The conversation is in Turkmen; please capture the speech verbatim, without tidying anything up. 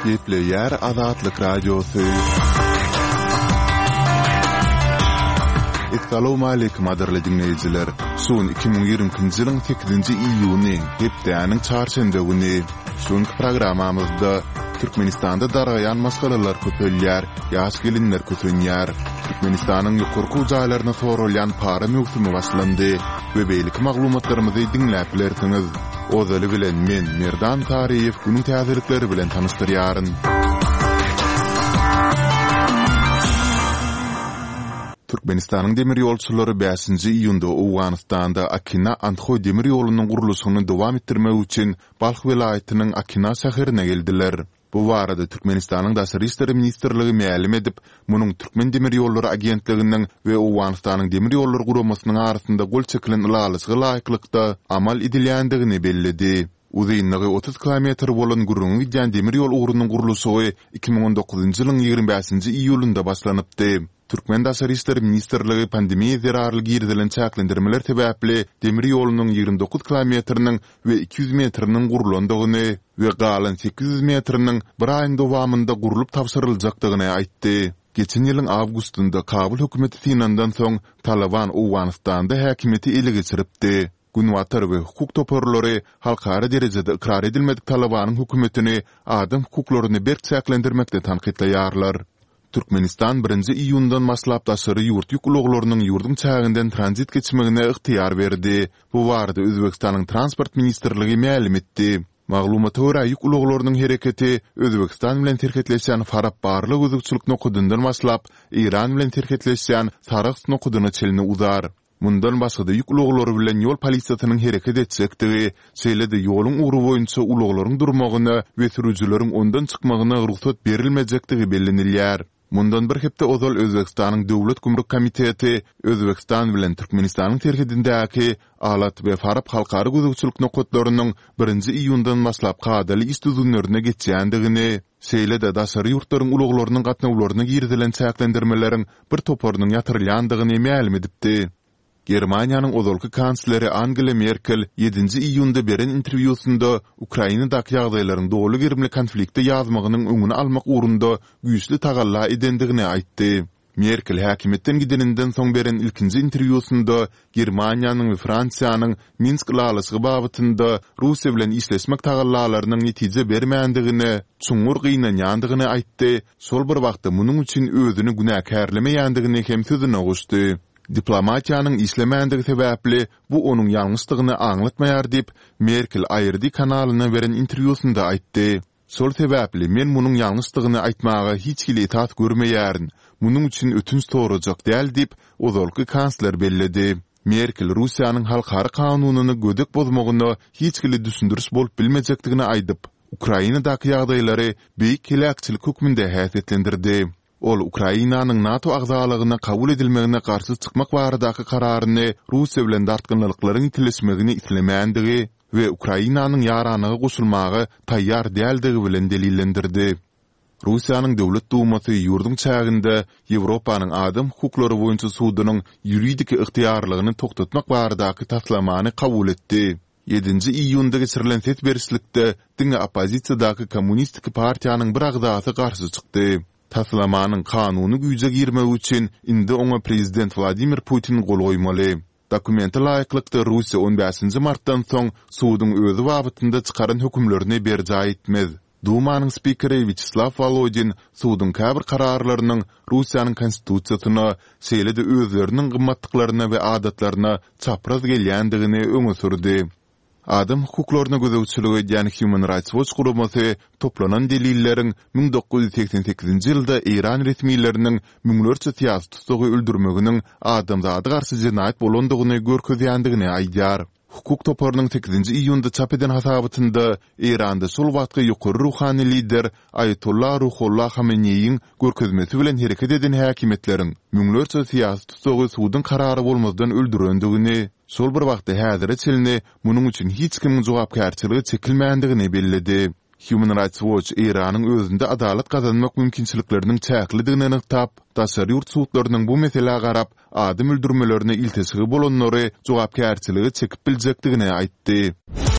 Gepleýär Azatlyk Radiosy. Essalawmaleýkim gadyrly diňleýjiler! Şu gün iki müň ýigrimi ikinji ýylyň sekizinji iýuny, hepdäniň çarşenbe güni. Şu günki programmamyzda Türkmenistanda dargaýan maşgalalar köpelýär, ýaş gelinler kösenýär. Türkmenistanyň ýokary okuw jaýlaryna soralýan para möwsümi başlandy we beýleki maglumatlarymyzy diňläp bilersiňiz. Ozaly bilen men, Merdan Saryýew günüň täzelikleri bilen tanyşdyrýaryn. Türkmenistanyň demir ýolçulary bäşinji iýunda Owganystanda Akina-Andhoý demir ýolunyň gurluşygyny dowam etdirmek üçin Balh welaýatynyň Akina şäherine geldiler. Bu barada Türkmenistanyň Daşary işler ministrligi mälim edip, munuň Türkmendemirýollary agentliginiň we Owganystanyň Demir ýollary guramasynyň arasynda gol çekilen ylalaşyga laýyklykda amal edilýändigini belledi. Uzynlygy otuz kilometr bolan gürrüňi gidýän demir ýol ugrunyň gurluşygy iki müň on dokuzynjy ýylyň ýigrimi bäşinji iýulynda başlanypdy. Türkmen Daşary işler ministrligi pandemiýa zerarly girizilen çäklendirmeler sebäpli demir ýolunyň ýigrimi dokuz kilometriniň we iki ýüz metriniň gurlandygyny we galan sekiz ýüz metriniň bir aýyň dowamynda gurlup tabşyryljakdygyny aýtdy. Geçen ýylyň awgustynda Kabul hökümeti synandan soň, Talyban Owganystanda häkimiýeti ele geçiripdi. Günbatar we hukuk toparlary halkara derejede ykrar edilmedik Talybanyň hökümetini adam hukuklaryny berk çäklendirmekde tankytlaýarlar. Türkmenistan birinji iýundan başlap daşary ýurt ýük ulaglarynyň ýurduň çäginden tranzit geçmegine ygtyýar berdi. Bu barada Özbegistanyň Transport ministrligi mälim etdi. Maglumata görä, ýük ulaglarynyň hereketi Özbegistan bilen serhetleşýän Farap barlag-gözegçilik nokadyndan başlap, Eýran bilen serhetleşýän Sarahs nokadyna çenli uzar. Mundan başga-da ýük ulaglary bilen ýol polisiýasynyň hereket etjekdigi, şeýle-de ýoluň ugry boýunça ulaglaryň durmagyna we sürüjileriň ondan çykmagyna rugsat berilmejekdigi bellenilýär. Mundan bir hepde ozal Özbegistanyň Döwlet gümrük komiteti Özbegistan bilen Türkmenistanyň serhedindäki Alat we Farap halkara gözegçilik nokatlarynyň birinji iýundan başlap kadaly iş düzgünlerine geçýändigini, şeýle-de daşary ýurtlaryň ulaglarynyň gatnawlaryna girizilen çäklendirmeleriň bir toparynyň ýatyrylýandygyny mälim edipdi. Germaniýanyň ozalky kansleri Angela Merkel ýedinji iýunda beren interwýusynda Ukrainadaky ýagdaýlaryň doly gerimli konflikte ýazmagynyň öňüni almak ugrunda güýçli tagalla edendigini aýtdy. Merkel häkimiýetden gideninden soň beren ilkinji interwýusynda Germaniýanyň we Fransiýanyň Minsk ylalaşygy babatynda Russiýa bilen işleşmek tagallalarynyň netije bermändigine çuňňur gynanýandygyny aýtdy, şol bir wagtda munuň üçin özüni günäkärlemeýändigini hem sözüne goşdy. Diplomatiýanyň işlemändigi sebäpli bu onuň ýalňyşdygyny aňlatmaýar diýip, Merkel ARD kanalyna beren interwýusynda aýtdy. Şol sebäpli men munuň ýalňyşdygyny aýtmaga hiç hili esas görmeýärin, munuň üçin ötünç sorajak däl diýip, ozalky kansler belledi. Merkel Russiýanyň halkara kanunyny gödek bozmagyna hiç hili düşündiriş bolup bilmejekdigini aýdyp, Ukrainadaky ýagdaýlary beýik heläkçilik hökmünde häsiýetlendirdi. Ol Ukrainanyň NATO agzalygyna kabul edilmegine garşy çykmak baradaky kararyny Russiýa bilen dartgynlylyklaryň ýitileşmegini islemändigi we Ukrainanyň ýaranlyga goşulmaga taýýar däldigi bilen delillendirdi. Russiýanyň Döwlet Dumasy ýurduň çäginde Ýewropanyň Adam hukuklary boýunça sudunyň ýuridiki ygtyýarlygyny togtatmak baradaky taslamany kabul etdi. Ýedinji iýunda geçirilen ses berişlikde diňe oppozisiýadaky Kommunistik partiýanyň bir agzasy garşy çykdy. Taslamanyň kanuny güýje girmegi üçin indi oňa prezident Wladimir Putin gol goýmaly. Dokumente laýyklykda, Russiýa on bäşinji martdan soň suduň özi babatynda çykaran hökümlerini berjaý etmez. Dumanyň spikeri Wýaçeslaw Wolodin suduň käbir kararlarynyň Russiýanyň Konstitusiýasyna, şeýle-de özleriniň gymmatlyklaryna we adatlaryna çapraz gelýändigini öňe sürdi. Adam hukuklaryna gözegçilik edýän Human Rights Watch guramasy toplanan delilleriň müň dokuz ýüz segsen sekizinji ýylda eýran resmileriniň müňlerçe syýasy tussagy öldürmeginiň adamzada garşy jenaýat bolandygyny görkezýändigini aýdýar. Hukuk toparynyň sekizinji iýunda çap eden hasabatynda Eýranda şol wagtky ýokary ruhany lider Aýatolla Ruhollah Hameneýiň görkezmesi bilen hereket eden häkimiýetleriň müňlerçe syýasy tussagy suduň karary bolmazdan öldürendigini, şol bir wagtda häzire çenli munuň üçin hiç kimiň jogapkärçilige çekilmändigini belledi. Human Rights Watch Eýranyň özünde adalat gazanmak mümkinçilikleriniň çäklidigini nygtap, daşary ýurt sudlarynyň bu meselä garap, adam öldürmelerine ilteşigi bolanlary jogapkärçilige çekip biljekdigini aýtdy.